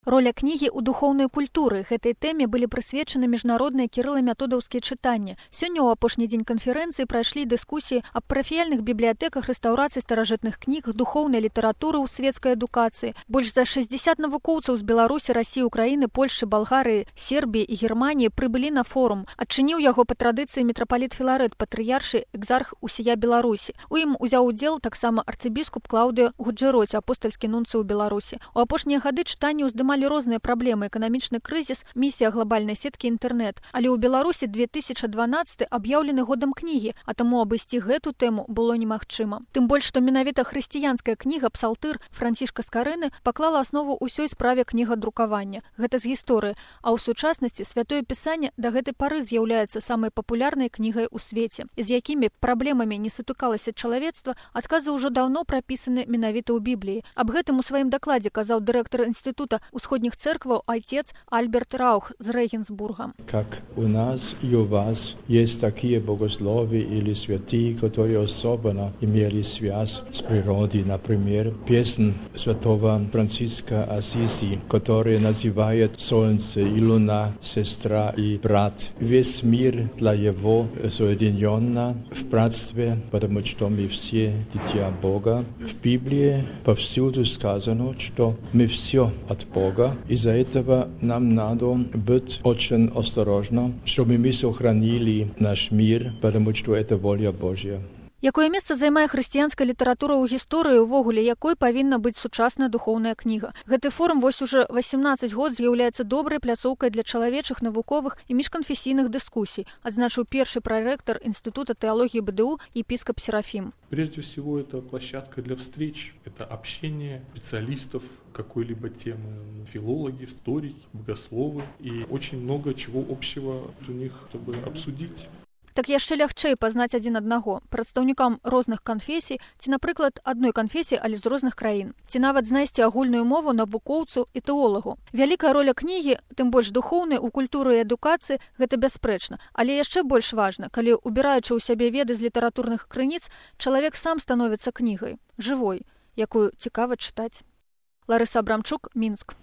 Роля кнігі ў духоўнай культуры. Гэтай тэме былі прысвечаны міжнародныя кірыла-методаўскія чытанні. Сёння ў апошні дзень канферэнцыі прайшлі дыскусіі аб парафіяльных бібліятэках, рэстаўрацыі старажытных кніг, духоўнай літаратуры ў свецкай адукацыі. Больш за 60 навукоўцаў з Беларусі, Расіі, Украіны, Польшчы, Балгарыі, Сербіі і Германіі прыбылі на форум. Адчыніў яго па традыцыі мітрапаліт Філарэт, патрыяршы экзарх усія Беларусі. У ім узяў удзел таксама арцыбіскуп Клаўдыё Гуджэроці, апостальскі нунцый у Беларусі. У апошнія гады чытанні ўздымалі розныя праблемы: эканамічны крызіс, місія глобальнай сеткі інтэрнэт. Але ў Беларусі 2012 аб'яўлены годам кнігі, а таму абысці гэту тэму было немагчыма. Тым больш, што менавіта хрысціянская кніга «Псалтыр» Францішка Скарыны паклала аснову ўсёй справе кнігадрукавання. Гэта з гісторыі. А ў сучаснасці святое пісанне да гэтай пары з'яўляецца самай папулярнай кнігай у свеце. З якімі праблемамі не сутыкалася чалавецтва, адказы ўжо даўно прапісаны менавіта ў Бібліі. Аб гэтым у сваім дакладзе казаў дырэктар Інстытута ўсходніх церкваў отец Альберт Раух з Регенсбурга. Как у нас и у вас есть такие богословы или святые, которые особенно имели связь с природой. Например, песнь святого Франциска Ассизи, который называет солнце и луна, сестра и брат. Весь мир для его соединенно в братстве, потому что мы все дитя Бога. В Библии повсюду сказано, что мы все от Бога. Из-за этого нам надо быть очень осторожно, чтобы мы сохранили наш мир, потому что это воля Божья. Якое месца займае хрысціянская літаратура ў гісторыі, увогуле якой павінна быць сучасная духоўная кніга? Гэты форум вось уже 18 год з'яўляецца добрай пляцоўкай для чалавечых, навуковых і міжканфесійных дыскусій, адзначыў першы прарэктар Інстытута тэалогіі БДУ епископ Серафим. Прежде всего, это площадка для встреч, это общение специалистов какой-либо темы, филологи, историки, богословы, и очень много чего общего у них, чтобы обсудить. Так яшчэ лягчэй пазнаць адзін аднаго, прадстаўнікам розных канфесій, ці, напрыклад, адной канфесіі, але з розных краін, ці нават знайсці агульную мову навукоўцу і тэолагу. Вялікая роля кнігі, тым больш духоўнай, у культуры і адукацыі, гэта бясспрэчна. Але яшчэ больш важна, калі, убіраючы ў сябе веды з літаратурных крыніц, чалавек сам становіцца кнігай, жывой, якую цікава чытаць. Ларыса Абрамчук, Мінск.